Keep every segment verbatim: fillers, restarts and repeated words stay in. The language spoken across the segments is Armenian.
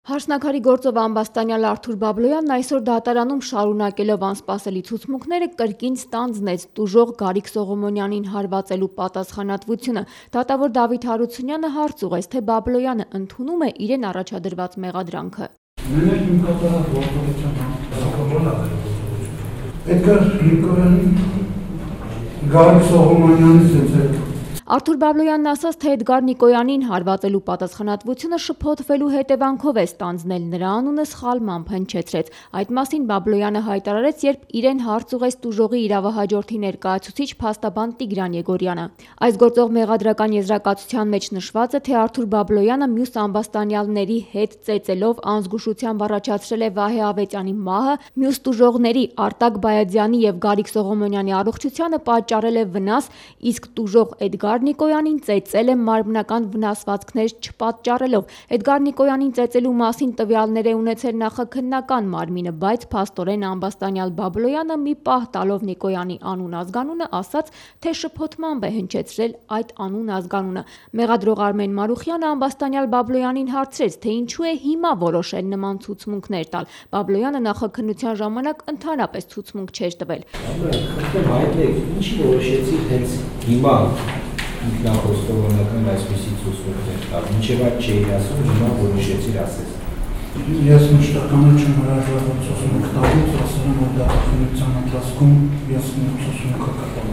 Հարսնաքարի գործով ամբաստանյալ Արթուր Բաբլոյանն այսօր դատարանում շարունակելով անսպասելի ցուցմունքները կրկին ստանձնեց տուժող Գարիկ Սողոմոնյանին հարվածելու պատասխանատվությունը։ Դատավոր Դավիթ Հարությունյանը հարց ուղղեց, թե Բաբլոյանը ընդունում է իրեն առաջադրված մեղադրանքը։ Գարիկ Սողոմոնյանից Արթուր Բաբլոյանն ասաց, թե Էդգար Նիկոյանին հարվածելու պատասխանատվությունը շփոթվելու հետևանքով է ստանձնել, նրա անունը սխալմամբ հնչեցրեց։ Այդ մասին Բաբլոյանը հայտարարեց, երբ իրեն հարց ուղղեց տուժողի իրավահաջորդի ներկայացուցիչ փաստաբան Տիգրան Եգորյանը։ Այս գործող մեղադրական եզրակացության մեջ նշված է, թե Արթուր Բաբլոյանը մյուս ամբաստանյալների հետ ծեծելով անզգուշությամբ առաջացրել է Վահե Ավետյանի մահը, մյուս տուժողների Արտակ Բայազյանի եւ Գարիկ Սողոմոնյանի առողջությանը պատճառել է վնաս, իսկ տուժող Էդգար Նիկոյանին ծեծել է մարմնական վնասվածքներ չպատճառելով։ Էդգար Նիկոյանին ծեծելու մասին տվյալներ է ունեցել նախաքննական մարմինը, բայց փաստորեն ամբաստանյալ Բաբլոյանը մի պահ տալով Նիկոյանի անուն-ազգանունը ասաց, թե շփոթմամբ է հնչեցրել այդ անուն-ազգանունը։ Մեղադրող Արմեն Մարուխյանը ամբաստանյալ Բաբլոյանին հարցրեց, թե ինչու է հիմա որոշել նման ցուցմունքներ տալ։ Բաբլոյանը նախաքննության ժամանակ ընդհանրապես ցուցմունք չէր տվել։ Ինչի որոշեցի հենց հիմա ինքնախոստովանական այսպիսի ցուցմունքներ տալ, մինչև այդ չէի ասում, հիմա որոշեցիր ասես։ Ես մշտական չեմ հրաժարվել ցուցմունք տալուց, ասել եմ, որ դատաքննության ընթացքում ես ցուցմունքը կտամ։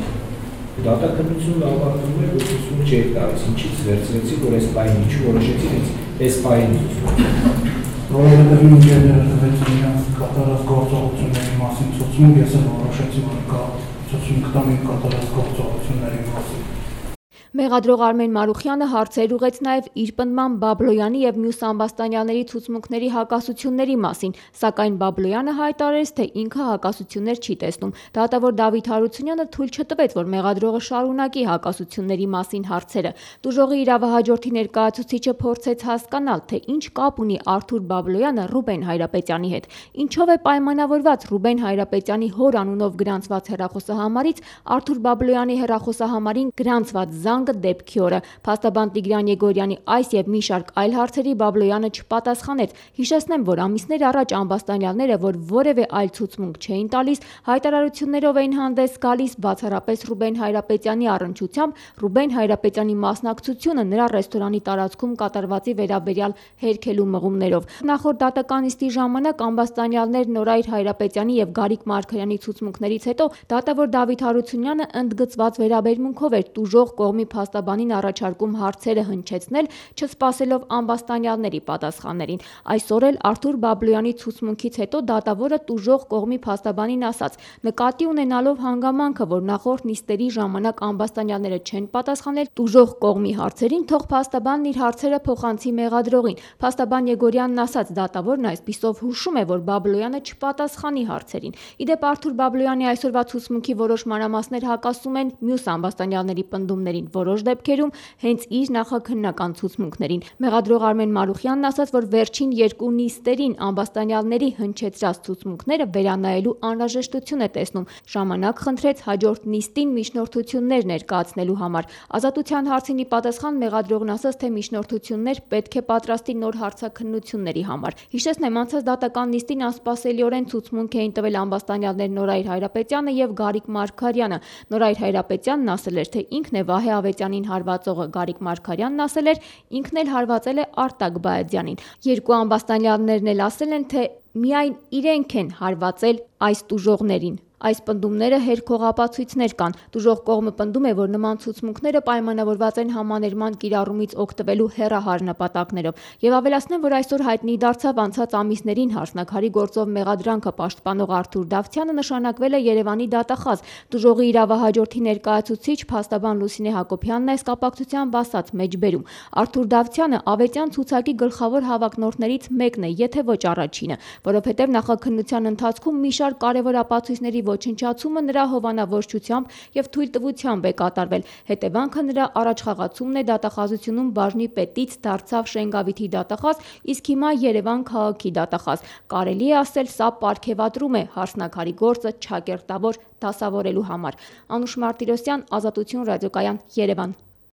Դատաքննությունը ավարտվում է, որ ցուցմունք չէի տալիս, ինչից վերցրեցի, որ այս պահին ինչու որոշեցի հենց այս պահին ցուցմունք։ Որովհետև ինժեները տվեց իրենց կատարած գործողությունների մասին ցուցմունք, ես էլ որոշեցի, որ կա ցուցմունք տամ իմ կատարած գործողությունների մասին։ Մեղադրող Արմեն Մարուխյանը հարցեր ուղղեց նաև իր պնդմամբ Բաբլոյանի եւ մյուս ամբաստանյալների ցուցմունքների հակասությունների մասին, սակայն Բաբլոյանը հայտարարեց, թե ինքը հակասություններ չի տեսնում։ Դատավոր Դավիթ Հարությունյանը թույլ չտվեց, որ մեղադրողը շարունակի հակասությունների մասին հարցերը։ Տուժողի իրավահաջորդի ներկայացուցիչը փորձեց հասկանալ, թե ինչ կապ ունի Արթուր Բաբլոյանը Ռուբեն Հայրապետյանի հետ, ինչով է պայմանավորված Ռուբեն Հայրապետյանի հոր անունով գրանցված հեռախոսահամարից Արթուր Բաբլոյանի հեռախոսահամարին գրանցված զանգը դեպքի օրը։ Փաստաբան Տիգրան Եգորյանի այս եւ մի շարք այլ հարցերի Բաբլոյանը չպատասխանեց։ Հիշեցնեմ, որ ամիսներ առաջ ամբաստանյալները, որ որևէ այլ ցուցմունք չէին տալիս, հայտարարություններով էին հանդես գալիս բացառապես Ռուբեն Հայրապետյանի առնչությամբ Ռուբեն Հայրապետյանի մասնակցությունը նրա ռեստորանի տարածքում կատարվածի վերաբերյալ հերքելու մղումներով։ Նախորդ դատական նիստի ժամանակ ամբաստանյալներ Նորայր Հայրապետյանի եւ Գարիկ Մարգարյանի ցուցմունքներից հետո դատավոր Դավիթ Հարությունյանը ընդգծված վերաբերմունքով էր տուժող կողմի փաստաբանին առաջարկում հարցերը հնչեցնել, չսպասելով ամբաստանյալների պատասխաններին։ Այսօր էլ Արթուր Բաբլոյանի ցուցմունքից հետո դատավորը տուժող կողմի փաստաբանին ասաց. նկատի ունենալով հանգամանքը, որ նախորդ նիստերի ժամանակ ամբաստանյալները չեն պատասխանել տուժող կողմի հարցերին, թող փաստաբանն իր հարցերը փոխանցի մեղադրողին։ Փաստաբան Եգորյանն ասաց, դատավորն այսպիսով հուշում է, որ Բաբլոյանը չպատասխանի հարցերին։ Իդեպ Արթուր Բաբլոյանի այսօրվա ցուցմունքի որոշ մանրամասներ հակասում են մյուս ամբաստանյալների պնդումներին, որոշ դեպքերում հենց իր նախաքննական ցուցմունքներին։ Մեղադրող Արմեն Մարուխյանն ասաց, որ վերջին երկու նիստերին ամբաստանյալների հնչեցրած ցուցմունքները վերանայելու անհրաժեշտություն է տեսնում։ Ժամանակ խնդրեց հաջորդ նիստին միջնորդություններ ներկայացնելու համար։ Ազատության հարցին ի պատասխան մեղադրողն ասաց, թե միջնորդություններ պետք է պատրաստի նոր հարցաքննությունների համար։ Հիշեցնեմ, անցած դատական նիստին անսպասելիորեն ցուցմունք էին տվել ամբաստանյալներ Նորայր Հայրապետյանը եւ Գարիկ Մարգարյանը։ Նորայր Հայրապետյանն ասել էր, թե ինքն է Վահե Ավետյանին հարվածողը, Գարիկ Մարգարյանն ասել էր, ինքն էլ հարվածել է Արտակ Բայազյանին։ Երկու ամբաստանյալներն էլ ասել են, թե միայն իրենք են հարվածել այս տուժողներին։ Այս պնդումները հերքողապացույցներ կան։ Տուժող կողմը պնդում է, որ նման ցուցմունքները պայմանավորված են համաներման կիրառումից օգտվելու հեռահար նպատակներով։ Եվ ավելացնեմ, որ այսօր հայտնի դարձավ անցած ամիսներին Հարսնաքարի գործով մեղադրանքը պաշտպանող Արթուր Դավթյանը նշանակվել է Երևանի դատախազ։ Տուժողի իրավահաջորդի ներկայացուցիչ փաստաբան Լուսինե Հակոբյանն այս կապակցությամբ ասաց մեջբերում. Արթուր Դավթյանը Ավետյան ցուցակի գլխավոր հավակնորդներից մեկն է, եթե ոչ առաջինը, որովհետև նախաքննության ընթացքում մի շարք կարևոր ապացույցների ոչնչացումը նրա հովանավորչությամբ եւ թույլտվությամբ է կատարվել։ Հետևանքը նրա առաջխաղացումն է դատախազությունում բաժնի պետից դարձավ Շենգավիթի դատախազ, իսկ հիմա Երևան քաղաքի դատախազ։ Կարելի է ասել, սա պարգևատրում է Հարսնաքարի գործը չակերտավոր դասավորելու համար։ Անուշ Մարտիրոսյան, Ազատություն ռադիոկայան, Երևան։